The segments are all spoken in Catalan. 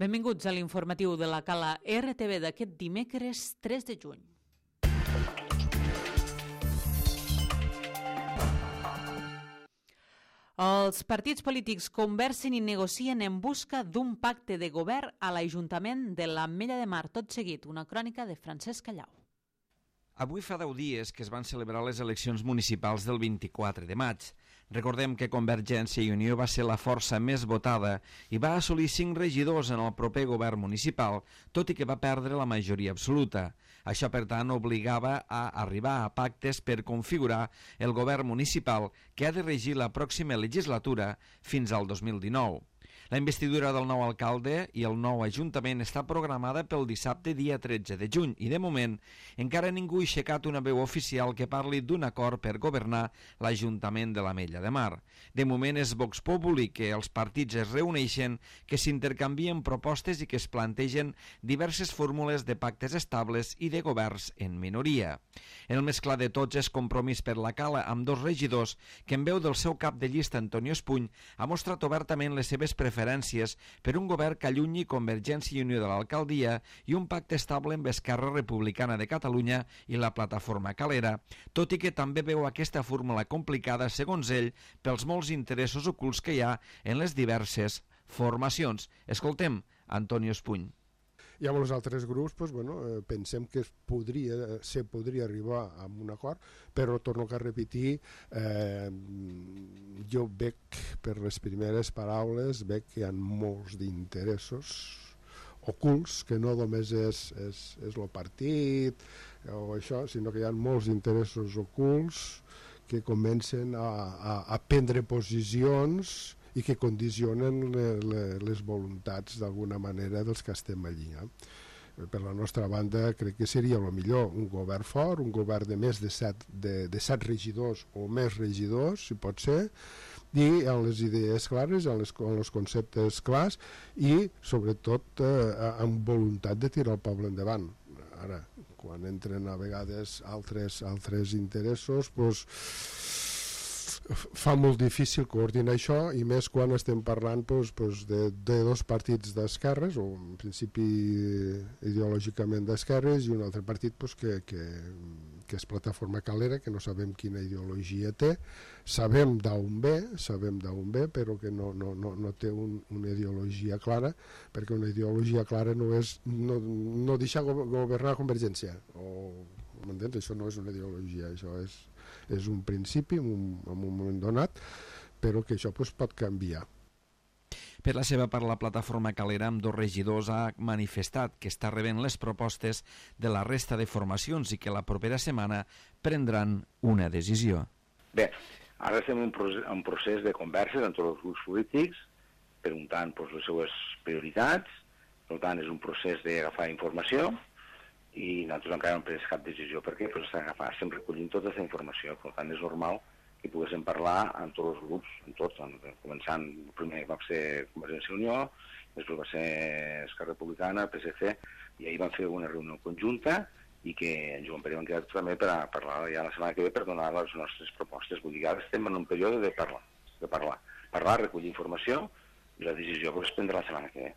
Benvinguts a l'informatiu de la Cala RTV d'aquest dimecres 3 de juny. Els partits polítics conversen i negocien en busca d'un pacte de govern a l'Ajuntament de l'Ametlla de Mar. Tot seguit, una crònica de Francesc Callau. Avui fa 10 dies que es van celebrar les eleccions municipals del 24 de maig. Recordem que Convergència i Unió va ser la força més votada i va assolir 5 regidors en el proper govern municipal, tot i que va perdre la majoria absoluta. Això, per tant, obligava a arribar a pactes per configurar el govern municipal que ha de regir la pròxima legislatura fins al 2019. La investidura del nou alcalde i el nou ajuntament està programada pel dissabte dia 13 de juny i, de moment, encara ningú ha aixecat una veu oficial que parli d'un acord per governar l'Ajuntament de l'Ametlla de Mar. De moment és Vox Populi que els partits es reuneixen, que s'intercanvien propostes i que es plantegen diverses fórmules de pactes estables i de governs en minoria. El més clar de tots és Compromís per la Cala, amb 2 regidors que, en veu del seu cap de llista, Antonio Espuny, ha mostrat obertament les seves preferències per un govern que allunyi Convergència i Unió de l'alcaldia i un pacte estable amb Esquerra Republicana de Catalunya i la plataforma Calera, tot i que també veu aquesta fórmula complicada, segons ell, pels molts interessos ocults que hi ha en les diverses formacions. Escoltem Antonio Espuny. I amb els altres grups pensem que se podria arribar a un acord, però torno a repetir, jo veig per les primeres paraules que hi ha molts d'interessos ocults, que no només és el partit o això, sinó que hi ha molts interessos ocults que comencen a prendre posicions i que condicionen les voluntats d'alguna manera dels que estem allí. Per la nostra banda crec que seria el millor un govern fort, un govern de més de 7 regidors o més regidors, si pot ser, i amb les idees clares, amb els conceptes clars i sobretot amb voluntat de tirar el poble endavant. Ara, quan entren a vegades altres interessos, fa molt difícil coordinar això, i més quan estem parlant de 2 partits d'esquerres, o en principi ideològicament d'esquerres, i un altre partit que és Plataforma Calera, que no sabem quina ideologia té, sabem d'on ve, però que no té una ideologia clara, perquè una ideologia clara no és no deixar governar Convergència, m'entens? Això no és una ideologia, això és un principi en un moment donat, però que això pot canviar. Per la seva part, la plataforma Calera, amb 2 regidors, ha manifestat que està rebent les propostes de la resta de formacions i que la propera setmana prendran una decisió. Bé, ara estem en un procés de converses amb tots els grups polítics, preguntant les seues prioritats, per tant és un procés d'agafar informació, i nosaltres encara no hem pres cap decisió. Per què? Estem recollint tota aquesta informació, per tant és normal que poguéssim parlar amb tots els grups, amb tots, començant, primer va ser Convergència i Unió, després va ser Esquerra Republicana, PSC, i ahir vam fer una reunió conjunta i que en Joan Pere vam quedar també per parlar ja la setmana que ve per donar les nostres propostes. Vull dir que ara estem en un període de parlar, recollir informació, i la decisió es prendrà la setmana que ve.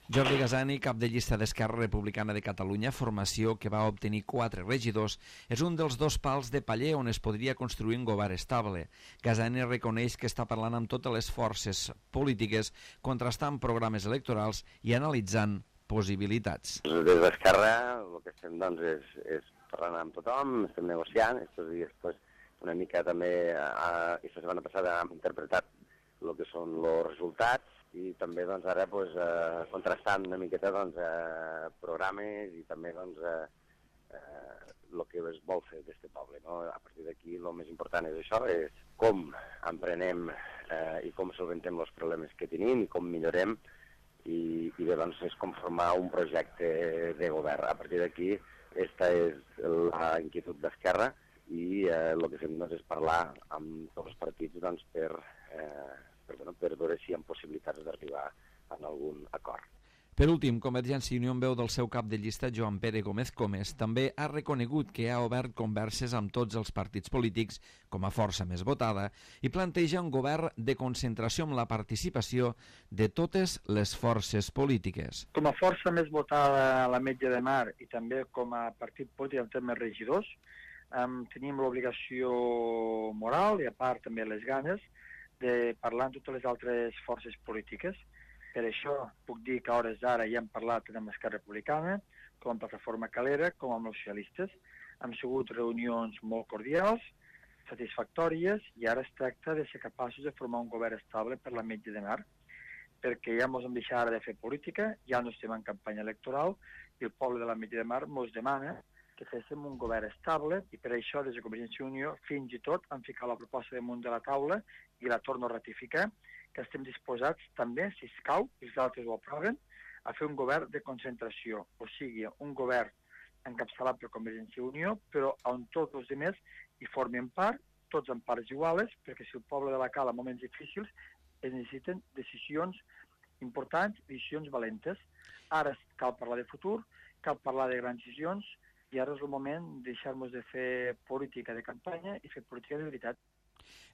Jordi Gasani, cap de llista d'Esquerra Republicana de Catalunya, formació que va obtenir 4 regidors, és un dels 2 pals de paller on es podria construir un govern estable. Gasani reconeix que està parlant amb totes les forces polítiques, contrastant programes electorals i analitzant possibilitats. Des d'Esquerra el que estem és parlant amb tothom, estem negociant, estos dies una mica també, aquesta setmana passada hem interpretat el que són els resultats, i també ara contrastant una miqueta programes i també el que es vol fer d'aquest poble. A partir d'aquí el més important és això, és com emprenem i com solventem els problemes que tenim i com millorem, i bé, és com formar un projecte de govern. A partir d'aquí, aquesta és la inquietud d'Esquerra, i el que fem és parlar amb tots els partits per veure si hi ha possibilitats d'arribar a algun acord. Per últim, Convergència i Unió, en veu del seu cap de llista, Joan Pere Gómez Comes, també ha reconegut que ha obert converses amb tots els partits polítics com a força més votada i planteja un govern de concentració amb la participació de totes les forces polítiques. Com a força més votada a l'Ametlla de Mar i també com a partit polític en termes regidors, tenim l'obligació moral i a part també les ganes de parlar amb totes les altres forces polítiques. Per això puc dir que a hores d'ara ja hem parlat amb Esquerra Republicana, com amb Plataforma Calera, com amb els socialistes. Han sigut reunions molt cordials, satisfactòries, i ara es tracta de ser capaços de formar un govern estable per l'Ametlla de Mar, perquè ja ens hem deixat ara de fer política, ja no estem en campanya electoral, i el poble de l'Ametlla de Mar ens demana que féssim un govern estable, i per això des de Convergència i Unió fins i tot han ficat la proposta damunt de la taula i la torno a ratificar, que estem disposats també, si escau, i els altres ho aproven, a fer un govern de concentració, o sigui, un govern encapçalat per Convergència i Unió, però on tots els altres hi formen part, tots en parts iguals, perquè si el poble de la Cala en moments difícils es necessiten decisions importants, decisions valentes. Ara cal parlar de futur, cal parlar de grans decisions, i ara és el moment de deixar-nos de fer política de campanya i fer política de veritat.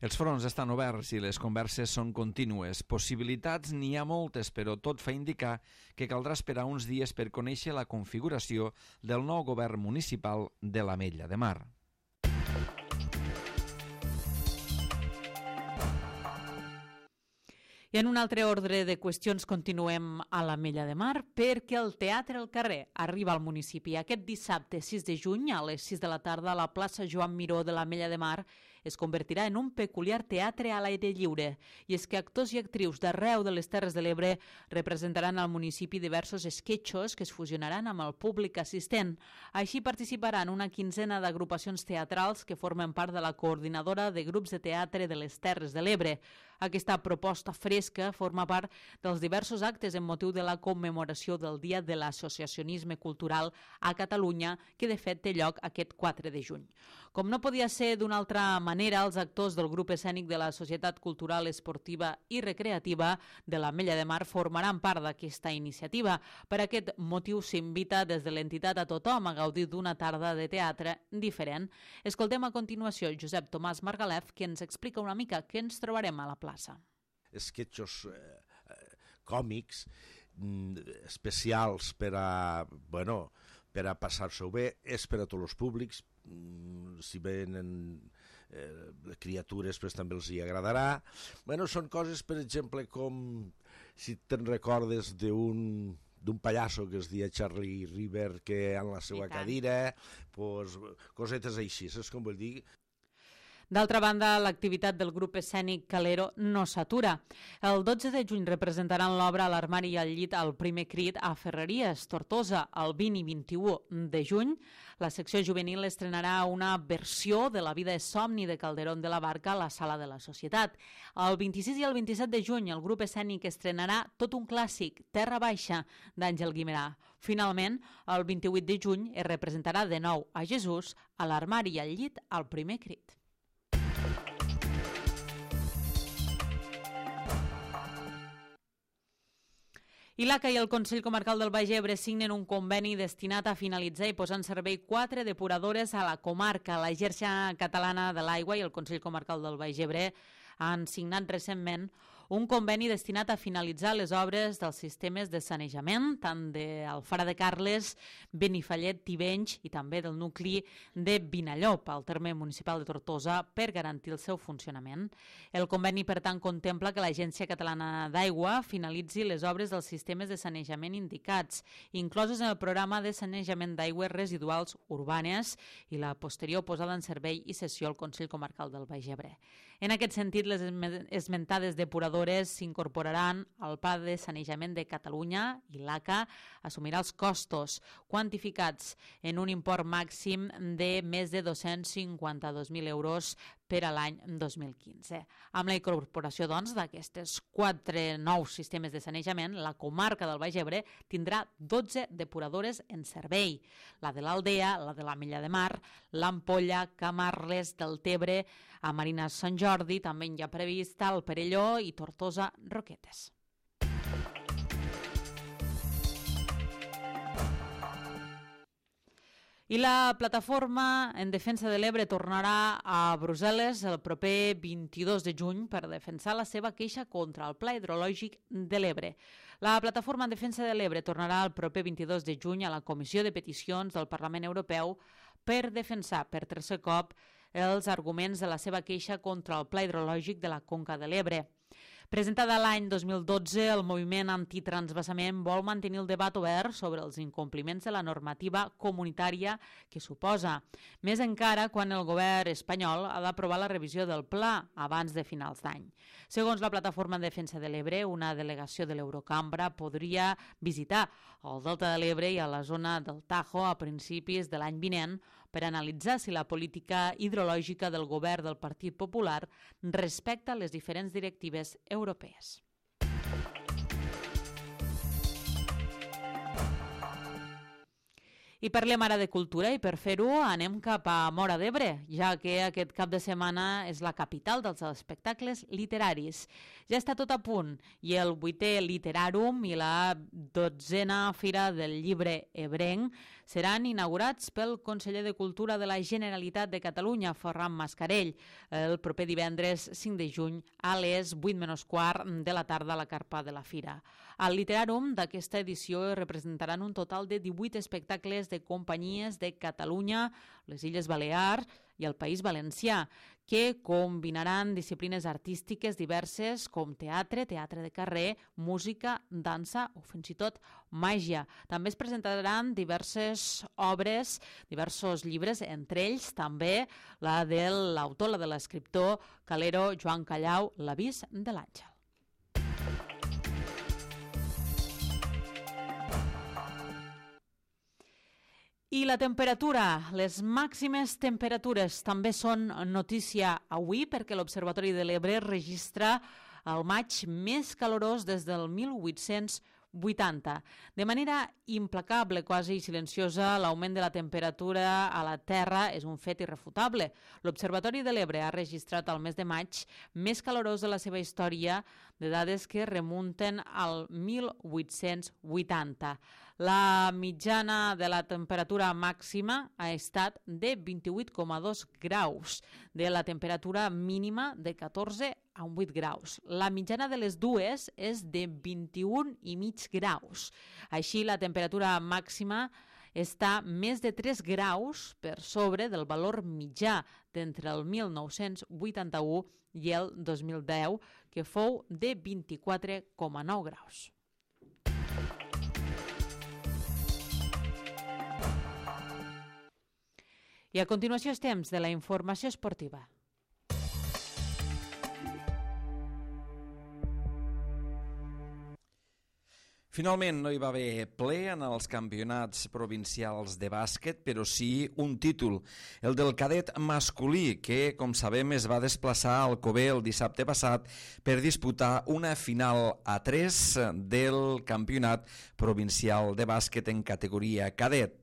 Els fronts estan oberts i les converses són contínues. Possibilitats n'hi ha moltes, però tot fa indicar que caldrà esperar uns dies per conèixer la configuració del nou govern municipal de l'Ametlla de Mar. I en un altre ordre de qüestions continuem a l'Ametlla de Mar perquè el Teatre al Carrer arriba al municipi. Aquest dissabte 6 de juny a les 6 de la tarda a la plaça Joan Miró de l'Ametlla de Mar es convertirà en un peculiar teatre a l'aire lliure. I és que actors i actrius d'arreu de les Terres de l'Ebre representaran al municipi diversos esquetxos que es fusionaran amb el públic assistent. Així participaran una quinzena d'agrupacions teatrals que formen part de la coordinadora de grups de teatre de les Terres de l'Ebre. Aquesta proposta fresca forma part dels diversos actes en motiu de la commemoració del Dia de l'Associacionisme Cultural a Catalunya, que de fet té lloc aquest 4 de juny. Com no podia ser d'una altra manera, els actors del grup escènic de la Societat Cultural, Esportiva i Recreativa de l'Ametlla de Mar formaran part d'aquesta iniciativa. Per aquest motiu s'invita des de l'entitat a tothom a gaudir d'una tarda de teatre diferent. Escoltem a continuació Josep Tomàs Margalef, que ens explica una mica què ens trobarem a la plaça. Esquetxos còmics especials per a passar-s'ho bé, és per a tots els públics, si venen criatures pues, també els hi agradarà. Són coses, per exemple, com si te'n recordes d'un pallasso que es deia Charlie River, que en la seva cadira, pues, cosetes així, saps com vull dir? D'altra banda, l'activitat del grup escènic Calero no s'atura. El 12 de juny representaran l'obra a l'Armari i al llit al Primer Crit a Ferreries, Tortosa. El 20 i 21 de juny, la secció juvenil estrenarà una versió de La vida és somni de Calderón de la Barca a la Sala de la Societat. El 26 i el 27 de juny, el grup escènic estrenarà tot un clàssic, Terra Baixa, d'Àngel Guimerà. Finalment, el 28 de juny es representarà de nou a Jesús a l'Armari i al llit al Primer Crit. I l'ACA i el Consell Comarcal del Baix Ebre signen un conveni destinat a finalitzar i posar en servei 4 depuradores a la comarca. La Xarxa Catalana de l'Aigua i el Consell Comarcal del Baix Ebre han signat recentment un conveni destinat a finalitzar les obres dels sistemes de sanejament, tant d'Alfara de Carles, Benifallet, Tivenys i també del nucli de Vinallop, al terme municipal de Tortosa, per garantir el seu funcionament. El conveni, per tant, contempla que l'Agència Catalana d'Aigua finalitzi les obres dels sistemes de sanejament indicats, incloses en el programa de sanejament d'aigües residuals urbanes i la posterior posada en servei i cessió al Consell Comarcal del Baix Ebre. En aquest sentit, les esmentades depuradores s'incorporaran al Pla de Sanejament de Catalunya i l'ACA assumirà els costos quantificats en un import màxim de més de 252.000 euros per a l'any 2015. Amb la incorporació, doncs, d'aquestes 4 nous sistemes de sanejament, la comarca del Baix Ebre tindrà 12 depuradores en servei. La de l'Aldea, la de l'Ametlla de Mar, l'Ampolla, Camarles, Deltebre, a Marines Sant Jordi, també hi ha prevista el Perelló i Tortosa Roquetes. I la plataforma en defensa de l'Ebre tornarà a Brussel·les el proper 22 de juny per defensar la seva queixa contra el Pla Hidrològic de l'Ebre. La plataforma en defensa de l'Ebre tornarà el proper 22 de juny a la Comissió de Peticions del Parlament Europeu per defensar per tercer cop els arguments de la seva queixa contra el Pla Hidrològic de la Conca de l'Ebre. Presentada l'any 2012, el moviment antitransvasament vol mantenir el debat obert sobre els incompliments de la normativa comunitària que suposa, més encara quan el govern espanyol ha d'aprovar la revisió del pla abans de finals d'any. Segons la Plataforma en Defensa de l'Ebre, una delegació de l'Eurocambra podria visitar el Delta de l'Ebre i a la zona del Tajo a principis de l'any vinent per analitzar si la política hidrològica del govern del Partit Popular respecta les diferents directives europees. I parlem ara de cultura i per fer-ho anem cap a Móra d'Ebre, ja que aquest cap de setmana és la capital dels espectacles literaris. Ja està tot a punt i el 8è Literarum i la 12a Fira del Llibre Ebrenc seran inaugurats pel conseller de Cultura de la Generalitat de Catalunya, Ferran Mascarell, el proper divendres 5 de juny a les 8:15 de la tarda a la carpa de la Fira. Al Literarum d'aquesta edició representaran un total de 18 espectacles de companyies de Catalunya, les Illes Balears i el País Valencià, que combinaran disciplines artístiques diverses com teatre, teatre de carrer, música, dansa o fins i tot màgia. També es presentaran diverses obres, diversos llibres, entre ells també la de l'autor, la de l'escriptor calero Joan Callau, L'avís de l'àngel. I la temperatura, les màximes temperatures també són notícia avui perquè l'Observatori de l'Ebre registra el maig més calorós des del 1880. De manera implacable, quasi silenciosa, l'augment de la temperatura a la Terra és un fet irrefutable. L'Observatori de l'Ebre ha registrat el mes de maig més calorós de la seva història, de dades que remunten al 1880. La mitjana de la temperatura màxima ha estat de 28,2 graus, de la temperatura mínima de 14,8 graus. La mitjana de les dues és de 21,5 graus. Així, la temperatura màxima està més de 3 graus per sobre del valor mitjà d'entre el 1981 i el 2010, que fou de 24,9 graus. I a continuació és temps de la informació esportiva. Finalment no hi va haver ple en els campionats provincials de bàsquet, però sí un títol, el del cadet masculí, que, com sabem, es va desplaçar al Alcover el dissabte passat per disputar una final a 3 del campionat provincial de bàsquet en categoria cadet.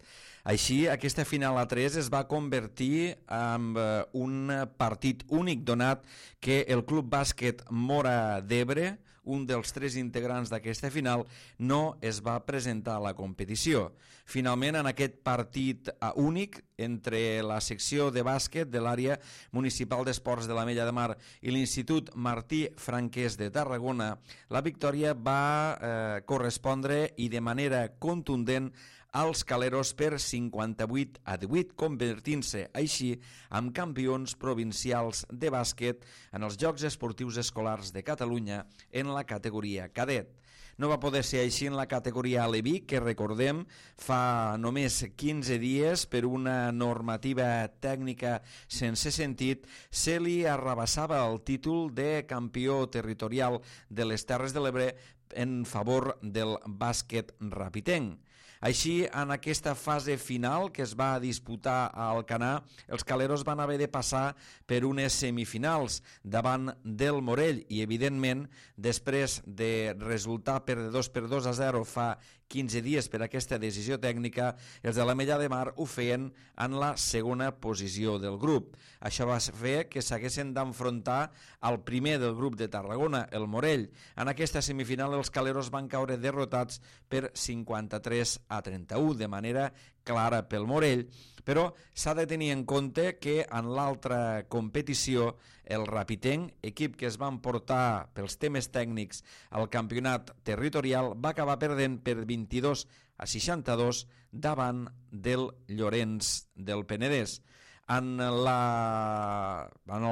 Així, aquesta final a 3 es va convertir en un partit únic, donat que el Club Bàsquet Móra d'Ebre, un dels 3 integrants d'aquesta final, no es va presentar a la competició. Finalment, en aquest partit únic entre la secció de bàsquet de l'àrea municipal d'esports de l'Ametlla de Mar i l'Institut Martí Franquès de Tarragona, la victòria va correspondre i de manera contundent als caleros per 58-18, convertint-se així en campions provincials de bàsquet en els Jocs Esportius Escolars de Catalunya en la categoria cadet. No va poder ser així en la categoria aleví, que recordem fa només 15 dies per una normativa tècnica sense sentit se li arrabassava el títol de campió territorial de les Terres de l'Ebre en favor del bàsquet rapitenc. Així, en aquesta fase final que es va disputar a Alcanar, els caleros van haver de passar per unes semifinals davant del Morell i, evidentment, després de resultar perdedors per 2-0 fa 15 dies per aquesta decisió tècnica, els de l'Ametlla de Mar ho feien en la segona posició del grup. Això va fer que s'haguessin d'enfrontar al primer del grup de Tarragona, el Morell. En aquesta semifinal els caleros van caure derrotats per 53-31, de manera clara pel Morell, però s'ha de tenir en compte que en l'altra competició el Rapitenc, equip que es va emportar pels temes tècnics al campionat territorial, va acabar perdent per 22-62 davant del Llorenç del Penedès. En el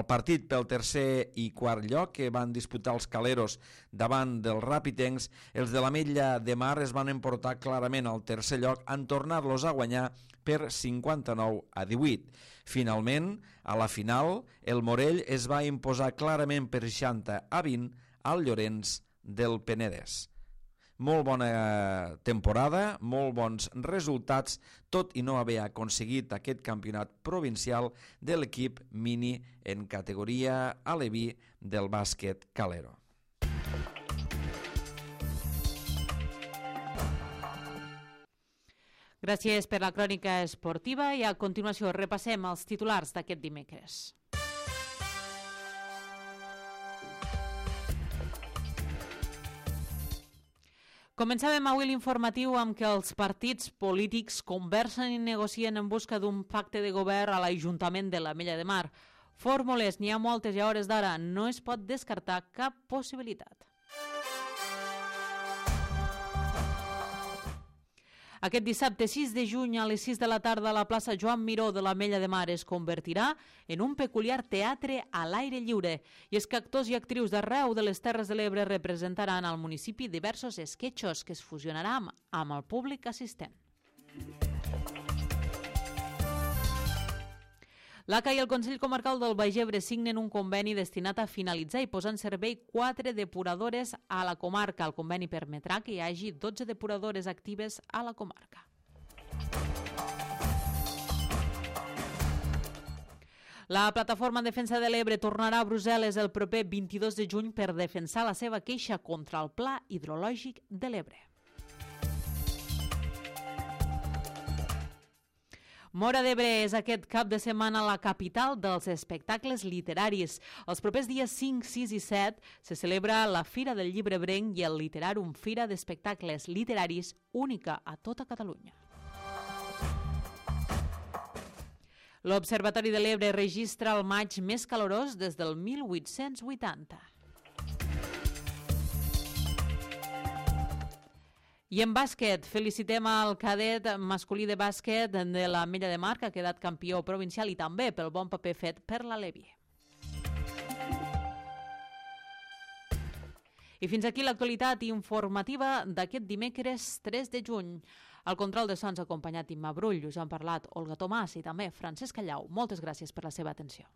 partit pel tercer i quart lloc que van disputar els caleros davant dels rapitencs, els de l'Ametlla de Mar es van emportar clarament al tercer lloc en tornar-los a guanyar per 59-18. Finalment, a la final, el Morell es va imposar clarament per 60-20 al Llorenç del Penedès. Molt bona temporada, molt bons resultats, tot i no haver aconseguit aquest campionat provincial de l'equip mini en categoria aleví del bàsquet calero. Gràcies per la crònica esportiva i a continuació repassem els titulars d'aquest dimecres. Començàvem avui l'informatiu amb que els partits polítics conversen i negocien en busca d'un pacte de govern a l'Ajuntament de l'Ametlla de Mar. Fórmules n'hi ha moltes i a hores d'ara no es pot descartar cap possibilitat. Aquest dissabte 6 de juny a les 6 de la tarda la plaça Joan Miró de l'Ametlla de Mar es convertirà en un peculiar teatre a l'aire lliure. I és que actors i actrius d'arreu de les Terres de l'Ebre representaran al municipi diversos esquetxos que es fusionaran amb el públic assistent. L'ACA i el Consell Comarcal del Baix Ebre signen un conveni destinat a finalitzar i posar en servei 4 depuradores a la comarca. El conveni permetrà que hi hagi 12 depuradores actives a la comarca. La plataforma en defensa de l'Ebre tornarà a Brussel·les el proper 22 de juny per defensar la seva queixa contra el Pla Hidrològic de l'Ebre. Móra d'Ebre és aquest cap de setmana la capital dels espectacles literaris. Els propers dies 5, 6 i 7 se celebra la Fira del Llibre Ebrenc i el Literàrum, fira d'espectacles literaris única a tota Catalunya. L'Observatori de l'Ebre registra el maig més calorós des del 1880. I en bàsquet, felicitem al cadet masculí de bàsquet de l'Ametlla de Mar, que ha quedat campió provincial i també pel bon paper fet per la Levi. I fins aquí l'actualitat informativa d'aquest dimecres 3 de juny. Al control de sons acompanyat Imma Brull, us han parlat Olga Tomàs i també Francesc Callau. Moltes gràcies per la seva atenció.